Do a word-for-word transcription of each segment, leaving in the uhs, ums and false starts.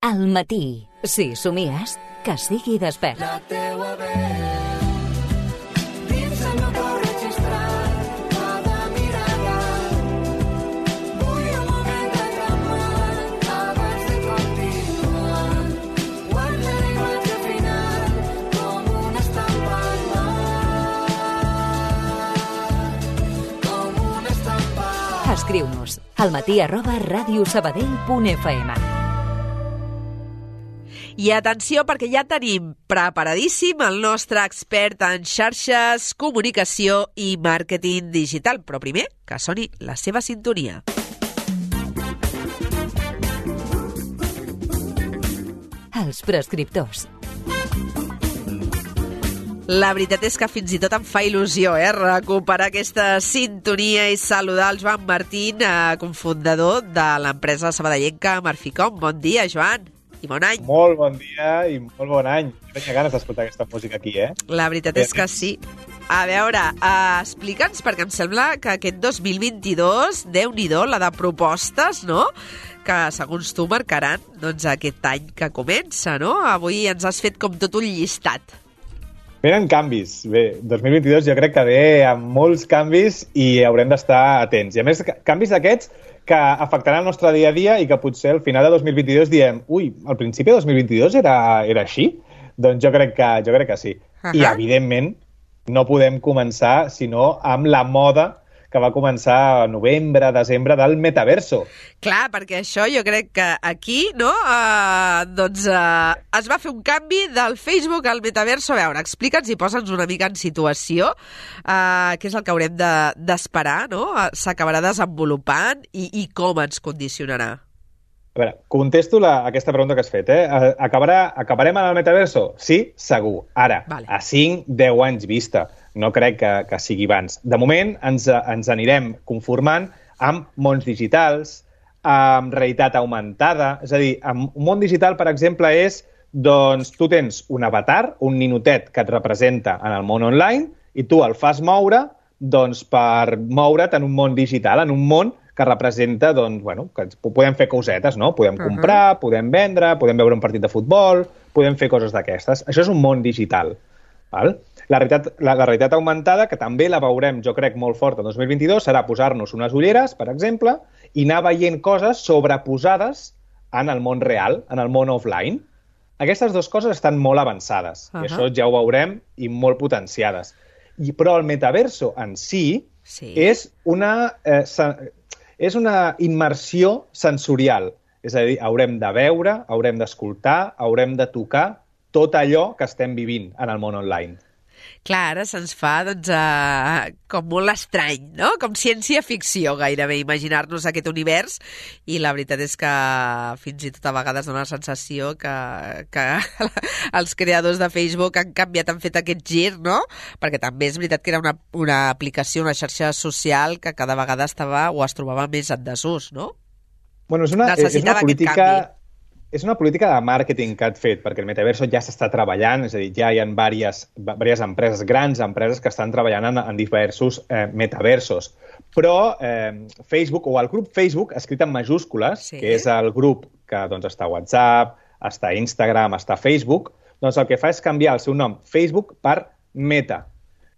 Al matí, si somies, que sigui despert. La teua veu dins el meu cor registrat, cada mirada. Vull un moment de calmar abans de continuar. Guarda la imatge final com una estampa al mar, com una estampa. Escriu-nos al matí arroba radiosabadell punt f m. I atenció, perquè ja tenim preparadíssim el nostre expert en xarxes, comunicació i màrqueting digital. Però primer, que soni la seva sintonia. Els prescriptors. La veritat és que fins i tot em fa il·lusió eh, recuperar aquesta sintonia i saludar el Joan Martín, eh, cofundador de l'empresa sabadellenca Marficom. Bon dia, Joan. I bon any. Molt bon dia i molt bon any. Tenia ganes d'escoltar aquesta música aquí, eh? La veritat és que sí. A veure, uh, explica'ns, perquè em sembla que aquest dos mil vint-i-dos, Déu-n'hi-do, la de propostes, no?, que segons tu marcaran doncs, aquest any que comença, no? Avui ens has fet com tot un llistat. Venen canvis. Bé, dos mil vint-i-dos jo crec que ve amb molts canvis i haurem d'estar atents. I a més, canvis d'aquests que afectaran el nostre dia a dia i que potser al final de dos mil vint-i-dos diem ui, al principi de dos mil vint-i-dos era, era així? Doncs jo crec que, jo crec que sí. Uh-huh. I, evidentment, no podem començar sinó amb la moda que va començar a novembre, desembre del metaverso. Clar, perquè això jo crec que aquí, no?, uh, doncs uh, es va fer un canvi del Facebook al metaverso. A veure, explica'ns i posa'ns una mica en situació, uh, què és el que haurem d'esperar, de, no?, uh, s'acabarà desenvolupant i, i com ens condicionarà. A veure, contesto la, aquesta pregunta que has fet, eh? Acabarà, acabarem en el metaverso? Sí, segur. Ara, vale. A cinc a deu anys vista. No crec que, que sigui abans. De moment ens, ens anirem conformant amb mons digitals, amb realitat augmentada. És a dir, amb un món digital, per exemple, és, doncs, tu tens un avatar, un ninotet que et representa en el món online i tu el fas moure, doncs, per moure't en un món digital, en un món que representa, doncs, bueno, que podem fer cosetes, no? Podem comprar, uh-huh. podem vendre, podem veure un partit de futbol, podem fer coses d'aquestes. Això és un món digital, val? La realitat, la, la realitat augmentada, que també la veurem, jo crec, molt forta el dos mil vint-i-dos, serà posar-nos unes ulleres, per exemple, i anar veient coses sobreposades en el món real, en el món offline. Aquestes dues coses estan molt avançades, uh-huh. i això ja ho veurem, i molt potenciades. I, però el metaverso en si sí. és una... Eh, és una immersió sensorial. És a dir, haurem de veure, haurem d'escoltar, haurem de tocar tot allò que estem vivint en el món online. Clar, ara se'ns fa doncs, uh, com molt estrany, no? Com ciència-ficció gairebé, imaginar-nos aquest univers, i la veritat és que fins i tot a vegades dona la sensació que, que els creadors de Facebook han canviat, han fet aquest gir, no? Perquè també és veritat que era una, una aplicació, una xarxa social que cada vegada estava o es trobava més en desús, no? Bueno, és una, és una política... És una política de màrqueting que han fet, perquè el metaverso ja s'està treballant, és a dir, ja hi ha diverses, diverses empreses, grans empreses que estan treballant en, en diversos eh, metaversos. Però eh, Facebook, o el grup Facebook, escrit en majúscules, sí. que és el grup que doncs, està a WhatsApp, està a Instagram, està a Facebook, doncs el que fa és canviar el seu nom, Facebook, per Meta,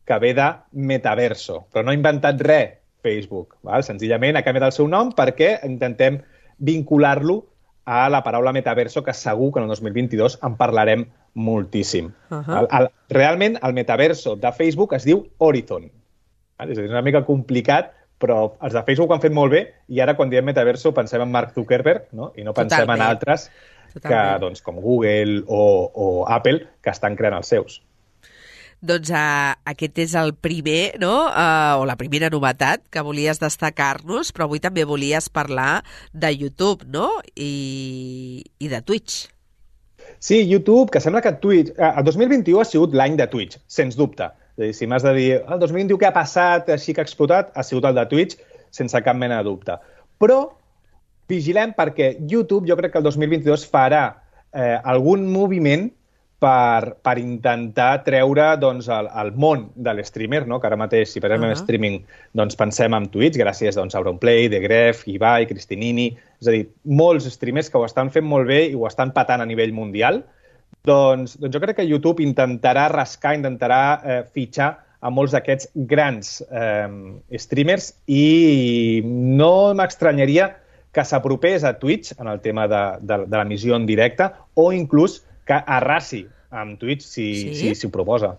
que ve de metaverso. Però no ha inventat res, Facebook. Val? Senzillament ha canviat el seu nom perquè intentem vincular-lo a la paraula metaverso, que segur que en el dos mil vint-i-dos en parlarem moltíssim. Uh-huh. el, el, realment, el metaverso de Facebook es diu Horizon. És a dir, és una mica complicat, però els de Facebook ho han fet molt bé, i ara quan diem metaverso pensem en Mark Zuckerberg, no? I no pensem Totalment. en altres que, doncs, com Google o, o Apple, que estan creant els seus. Doncs uh, aquest és el primer, no? Uh, o la primera novetat que volies destacar-nos, però avui també volies parlar de YouTube, no? I, i de Twitch. Sí, YouTube, que sembla que Twitch... El dos mil vint-i-u ha sigut l'any de Twitch, sens dubte. És a dir, si m'has de dir el dos mil vint-i-u què ha passat, així que ha explotat, ha sigut el de Twitch, sense cap mena de dubte. Però vigilem perquè YouTube, jo crec que el dos mil vint-i-dos farà eh, algun moviment per, per intentar treure doncs, el, el món de l'streamer, no? Que ara mateix, si parlem uh -huh. en streaming, doncs pensem en Twitch, gràcies doncs, a Auronplay, The Gref, Ibai, Cristinini, és a dir, molts streamers que ho estan fent molt bé i ho estan patant a nivell mundial, doncs, doncs jo crec que YouTube intentarà rascar, intentarà eh, fitxar a molts d'aquests grans eh, streamers i no m'estranyaria que s'apropés a Twitch en el tema de, de, de l'emissió en directe o inclús que arrasi amb Twitch si, sí? si, si ho proposa.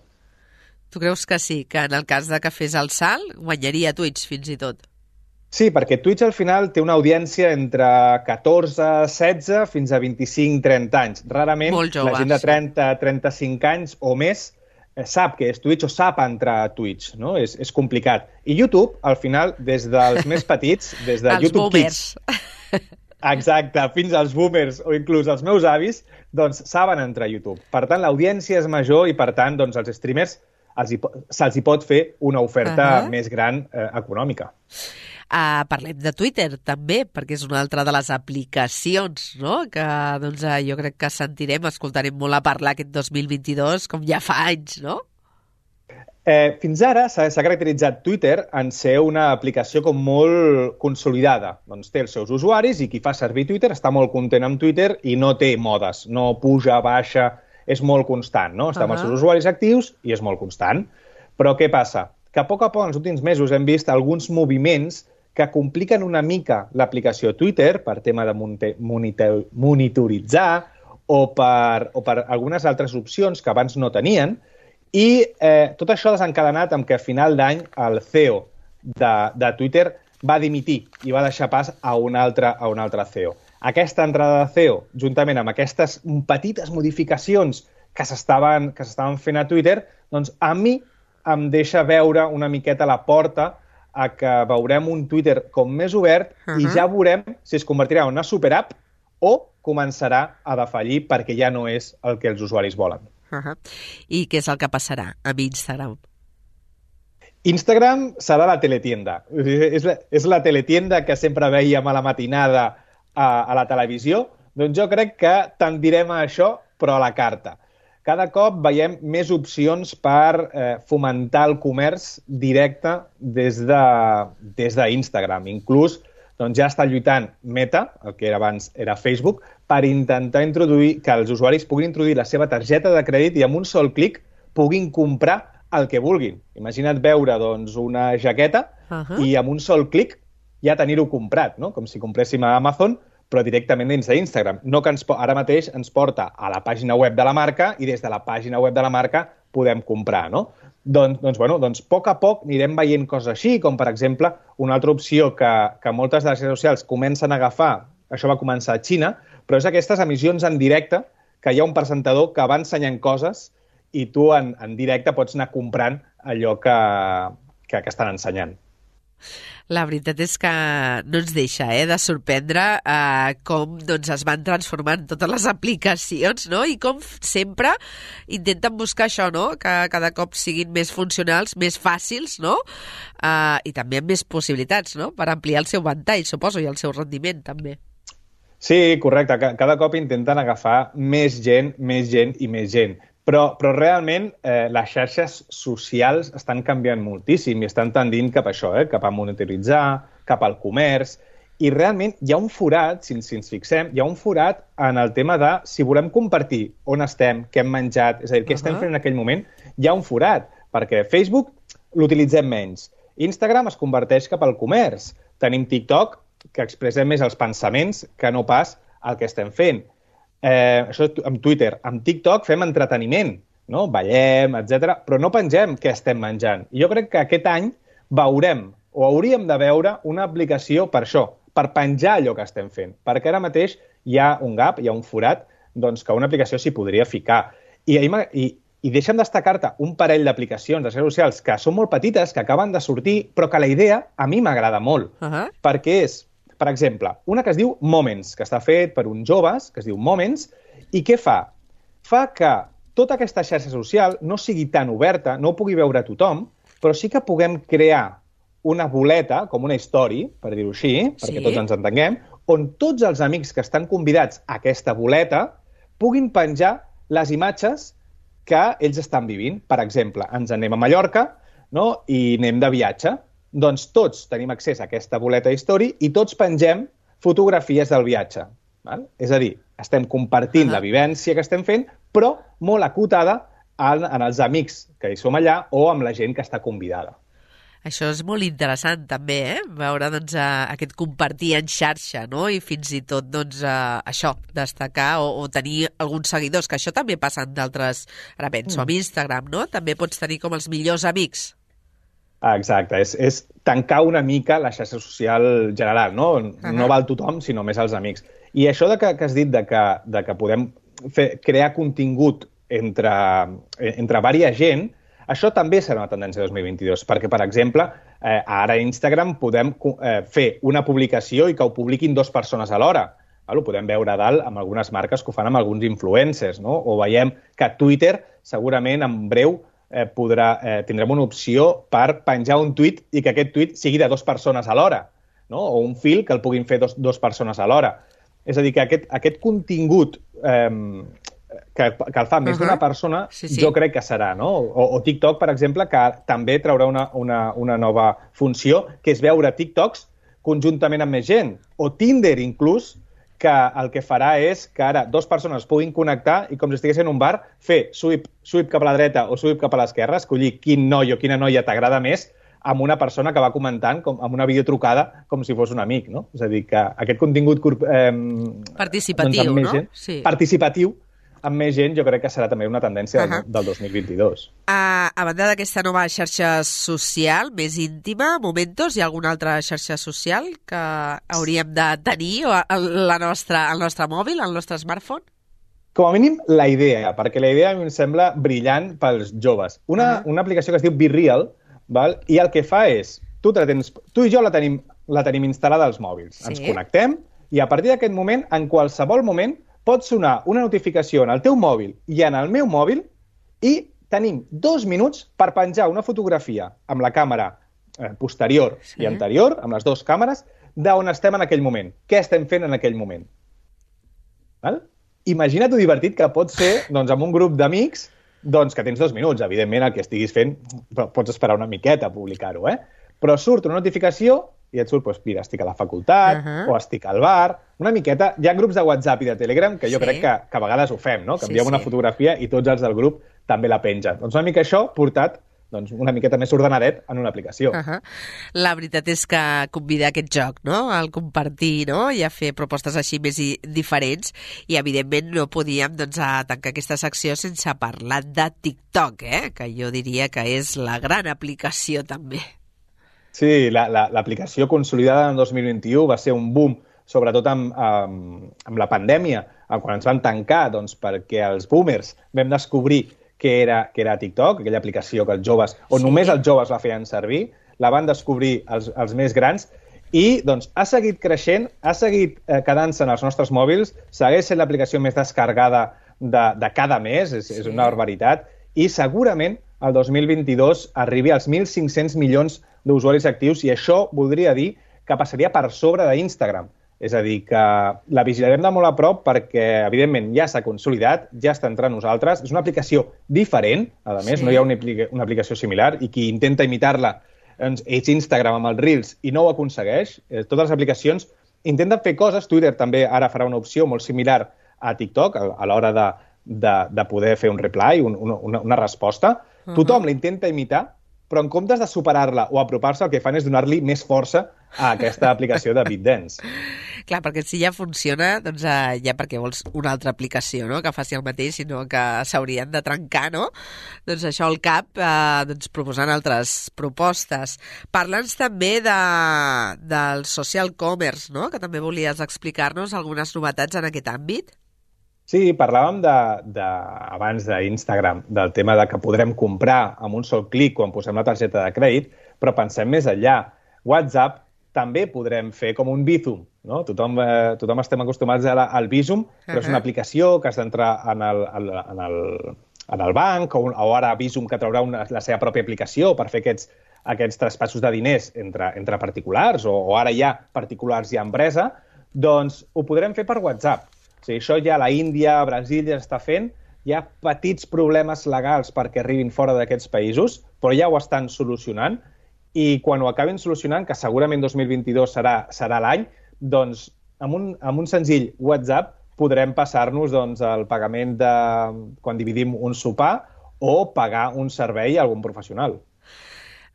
Tu creus que sí, que en el cas de que fes el salt guanyaria Twitch fins i tot? Sí, perquè Twitch al final té una audiència entre catorze, setze fins a vint-i-cinc, trenta anys. Rarament jove, la gent de trenta, trenta-cinc anys o més sap que és Twitch o sap entrar a Twitch, no? És, és complicat. I YouTube, al final, des dels més petits, des de els YouTube boomers. Kids, exacte, fins als boomers o inclús els meus avis, doncs saben entrar a YouTube. Per tant, l'audiència és major i, per tant, doncs, els streamers se'ls hi pot fer una oferta uh -huh. més gran eh, econòmica. Uh, parlem de Twitter, també, perquè és una altra de les aplicacions, no?, que doncs, uh, jo crec que sentirem, escoltarem molt a parlar aquest dos mil vint-i-dos, com ja fa anys, no? Eh, fins ara s'ha caracteritzat Twitter en ser una aplicació com molt consolidada. Doncs té els seus usuaris i qui fa servir Twitter està molt content amb Twitter i no té modes, no puja, baixa, és molt constant, no? Està amb els seus usuaris actius i és molt constant. Però què passa? Que a poc a poc, en els últims mesos, hem vist alguns moviments que compliquen una mica l'aplicació Twitter per tema de monitoritzar o per, o per algunes altres opcions que abans no tenien. I eh, tot això ha desencadenat amb que a final d'any el C E O de, de Twitter va dimitir i va deixar pas a un altre, a un altre C E O. Aquesta entrada de C E O, juntament amb aquestes petites modificacions que s'estaven que s'estaven fent a Twitter, doncs a mi em deixa veure una miqueta la porta a que veurem un Twitter com més obert uh -huh. i ja veurem si es convertirà en una superapp o començarà a defallir perquè ja no és el que els usuaris volen. Uh -huh. I què és el que passarà amb Instagram? Instagram serà la teletienda. És la, és la teletienda que sempre veiem a la matinada a, a la televisió. Doncs jo crec que tendirem a això, però a la carta. Cada cop veiem més opcions per eh, fomentar el comerç directe des de, des d'Instagram. Inclús doncs, ja està lluitant Meta, el que era abans era Facebook, per intentar introduir que els usuaris puguin introduir la seva targeta de crèdit i amb un sol clic puguin comprar el que vulguin. Imagina't veure doncs, una jaqueta uh -huh. i amb un sol clic ja tenir-ho comprat, no? Com si compréssim a Amazon, però directament dins d'Instagram. No que ens, ara mateix ens porta a la pàgina web de la marca i des de la pàgina web de la marca podem comprar, no? Doncs, doncs, bueno, doncs, a poc a poc anirem veient coses així, com, per exemple, una altra opció que, que moltes de les xarxes socials comencen a agafar, això va començar a Xina, però és aquestes emissions en directe, que hi ha un presentador que va ensenyant coses i tu en, en directe pots anar comprant allò que, que, que estan ensenyant. La veritat és que no ens deixa eh, de sorprendre eh, com doncs, es van transformant totes les aplicacions, no? I com sempre intenten buscar això, no? Que cada cop siguin més funcionals, més fàcils, no? Eh, I també amb més possibilitats, no? Per ampliar el seu ventall, suposo, i el seu rendiment, també. Sí, correcte. Cada cop intenten agafar més gent, més gent i més gent. Però, però realment eh, les xarxes socials estan canviant moltíssim i estan tendint cap a això, eh? Cap a monitoritzar, cap al comerç. I realment hi ha un forat, si, si ens fixem, hi ha un forat en el tema de si volem compartir on estem, què hem menjat, és a dir, què uh -huh. estem fent en aquell moment, hi ha un forat, perquè Facebook l'utilitzem menys. Instagram es converteix cap al comerç. Tenim TikTok, que expressem més els pensaments que no pas el que estem fent. Eh, això amb Twitter. Amb TikTok fem entreteniment, no? Ballem, etcètera, però no pengem què estem menjant. I jo crec que aquest any veurem, o hauríem de veure, una aplicació per això, per penjar allò que estem fent. Perquè ara mateix hi ha un gap, hi ha un forat, doncs que una aplicació s'hi podria ficar. I, i, i deixa'm destacar-te un parell d'aplicacions de xarxes socials que són molt petites, que acaben de sortir, però que la idea a mi m'agrada molt. Uh -huh. Perquè és, per exemple, una que es diu Moments, que està fet per uns joves, que es diu Moments, i què fa? Fa que tota aquesta xarxa social no sigui tan oberta, no ho pugui veure tothom, però sí que puguem crear una boleta, com una història, per dir-ho així, perquè sí. Tots ens entenguem, on tots els amics que estan convidats a aquesta boleta puguin penjar les imatges que ells estan vivint. Per exemple, ens anem a Mallorca, no? I anem de viatge. Doncs tots tenim accés a aquesta boleta d'història i tots pengem fotografies del viatge. Val? És a dir, estem compartint uh -huh. la vivència que estem fent, però molt acotada en, en els amics que hi som allà o amb la gent que està convidada. Això és molt interessant, també, eh? Veure doncs, aquest compartir en xarxa, no? I fins i tot, doncs, això, destacar o, o tenir alguns seguidors, que això també passa en d'altres... Ara penso, mm. amb Instagram, no? També pots tenir com els millors amics. Exacte, és, és tancar una mica la xarxa social general, no? Uh -huh. No val tothom, sinó més els amics. I això de que, que has dit de que, de que podem fer, crear contingut entre, entre varia gent, això també serà una tendència dos mil vint-i-dos, perquè, per exemple, eh, ara a Instagram podem eh, fer una publicació i que ho publiquin dues persones alhora. Ho podem veure a dalt amb algunes marques que ho fan amb alguns influencers, no? O veiem que Twitter, segurament, en breu, eh, podrà, eh, tindrem una opció per penjar un tuit i que aquest tuit sigui de dues persones alhora, no? O un fil que el puguin fer dos, dues persones alhora. És a dir, que aquest, aquest contingut eh, que, que el fa més uh -huh. d'una persona, sí, sí. jo crec que serà, no? O, o TikTok, per exemple, que també traurà una, una, una nova funció, que és veure TikToks conjuntament amb més gent. O Tinder, inclús, que el que farà és que ara dues persones puguin connectar i, com si estiguessin en un bar, fer swipe, swipe cap a la dreta o swipe cap a l'esquerra, escollir quin noi o quina noia t'agrada més amb una persona que va comentant com, amb una videotrucada com si fos un amic, no? És a dir, que aquest contingut eh, participatiu, doncs, no? Gent, sí. Participatiu amb més gent, jo crec que serà també una tendència uh -huh. del, del dos mil vint-i-dos. A, a banda d'aquesta nova xarxa social més íntima, Momentos, hi ha alguna altra xarxa social que hauríem de tenir o la nostra, el nostre mòbil, el nostre smartphone? Com a mínim, la idea, perquè la idea a mi em sembla brillant pels joves. Una, uh -huh. una aplicació que es diu Be Real, val? I el que fa és, tu, te tens, tu i jo la tenim, la tenim instal·lada als mòbils. Sí. Ens connectem i a partir d'aquest moment, en qualsevol moment, pot sonar una notificació en el teu mòbil i en el meu mòbil i tenim dos minuts per penjar una fotografia amb la càmera eh, posterior sí. i anterior, amb les dues càmeres, d'on estem en aquell moment, què estem fent en aquell moment. Val? Imagina't ho divertit que pot ser doncs, amb un grup d'amics doncs, que tens dos minuts. Evidentment, el que estiguis fent pots esperar una miqueta a publicar-ho, eh? Però surt una notificació i et surt, doncs, mira, estic a la facultat uh -huh. o estic al bar, una miqueta. Hi ha grups de WhatsApp i de Telegram que jo sí. crec que, que a vegades ho fem, no? Que enviem sí, sí. una fotografia i tots els del grup també la pengen. Doncs una mica això portat doncs, una miqueta més ordenadet en una aplicació. Uh -huh. La veritat és que convida aquest joc, no?, al compartir, no?, i a fer propostes així més i diferents, i evidentment no podíem doncs, a tancar aquesta secció sense parlar de TikTok, eh?, que jo diria que és la gran aplicació també. Sí, l'aplicació la, la, consolidada en dos mil vint-i-u va ser un boom, sobretot amb, amb, amb la pandèmia, quan ens van tancar, doncs, perquè els boomers vam descobrir que era, que era TikTok, aquella aplicació que els joves, o sí. només els joves la feien servir, la van descobrir els, els més grans, i doncs, ha seguit creixent, ha seguit eh, quedant-se en els nostres mòbils, segueix sent l'aplicació més descarregada de, de cada mes, és, sí. és una barbaritat, i segurament el dos mil vint-i-dos arribi als mil cinc-cents milions d'usuaris actius, i això voldria dir que passaria per sobre d'Instagram. És a dir, que la vigilarem de molt a prop perquè, evidentment, ja s'ha consolidat, ja està entre nosaltres. És una aplicació diferent, a més, sí. no hi ha una, una aplicació similar, i qui intenta imitar-la doncs, és Instagram amb els Reels i no ho aconsegueix. Eh, totes les aplicacions intenten fer coses. Twitter també ara farà una opció molt similar a TikTok a, a l'hora de, de, de poder fer un reply, un, una, una resposta. Uh -huh. Tothom la intenta imitar, però en comptes de superar-la o apropar-se, el que fan és donar-li més força a aquesta aplicació de BitDance. Clar, perquè si ja funciona, doncs uh, ja perquè vols una altra aplicació, no?, que faci el mateix, sinó que s'haurien de trencar, no? Doncs això al cap, uh, doncs proposant altres propostes. Parla'ns també de, del social commerce, no?, que també volies explicar-nos algunes novetats en aquest àmbit. Sí, parlàvem de, de, abans d'Instagram, del tema de que podrem comprar amb un sol clic quan posem la targeta de crèdit, però pensem més enllà. WhatsApp també podrem fer com un Bizum, no? Tothom, eh, tothom estem acostumats a la, al Bizum, però uh -huh. és una aplicació que has d'entrar en, el, en, el, en el banc, o, o ara Bizum que traurà una, la seva pròpia aplicació per fer aquests, aquests traspassos de diners entre, entre particulars, o, o ara ja particulars i empresa, doncs ho podrem fer per WhatsApp. O sigui, això ja la Índia, Brasil ja està fent, hi ha petits problemes legals perquè arribin fora d'aquests països, però ja ho estan solucionant, i quan ho acabin solucionant, que segurament dos mil vint-i-dos serà, serà l'any, doncs amb un, amb un senzill WhatsApp podrem passar-nos doncs, el pagament de quan dividim un sopar o pagar un servei a algun professional.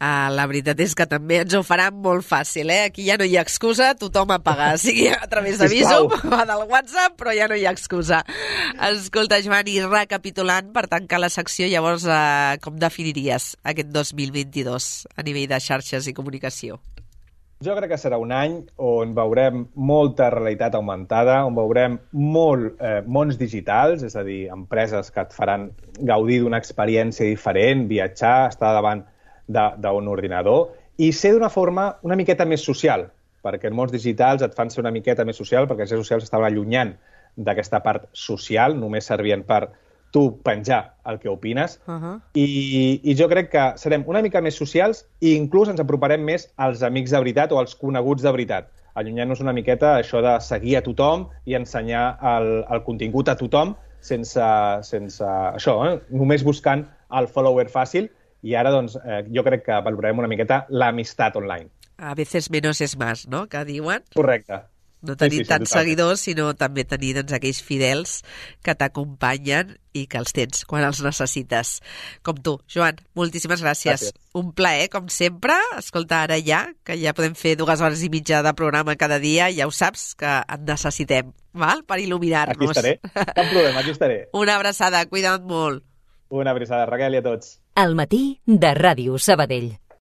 Ah, la veritat és que també ens ho faran molt fàcil, eh? Aquí ja no hi ha excusa, tothom a pagar, sigui a través de Bizum o del WhatsApp, però ja no hi ha excusa. Escolta, Joan, i recapitulant, per tancar la secció, llavors, eh, com definiries aquest dos mil vint-i-dos a nivell de xarxes i comunicació? Jo crec que serà un any on veurem molta realitat augmentada, on veurem molt eh, mons digitals, és a dir, empreses que et faran gaudir d'una experiència diferent, viatjar, estar davant d'un ordinador, i ser d'una forma una miqueta més social, perquè els mons digitals et fan ser una miqueta més social, perquè les xarxes socials estaven allunyant d'aquesta part social, només servien per tu penjar el que opines, uh-huh. I, i jo crec que serem una mica més socials i inclús ens aproparem més als amics de veritat o als coneguts de veritat, allunyant-nos una miqueta això de seguir a tothom i ensenyar el, el contingut a tothom sense, sense això, eh? Només buscant el follower fàcil. I ara, doncs, eh, jo crec que valorarem una miqueta l'amistat online. A veces menos es más, no?, que diuen. Correcte. No tenir sí, sí, sí, tants seguidors, sinó també tenir doncs, aquells fidels que t'acompanyen i que els tens quan els necessites. Com tu. Joan, moltíssimes gràcies. gràcies. Un plaer, com sempre. Escolta, ara ja, que ja podem fer dues hores i mitja de programa cada dia, ja ho saps, que et necessitem, val?, per il·luminar-nos. Aquí estaré. Cap problema, aquí estaré. Una abraçada, cuida't molt. Una abraçada, Raquel, i a tots. Al matí de Ràdio Sabadell.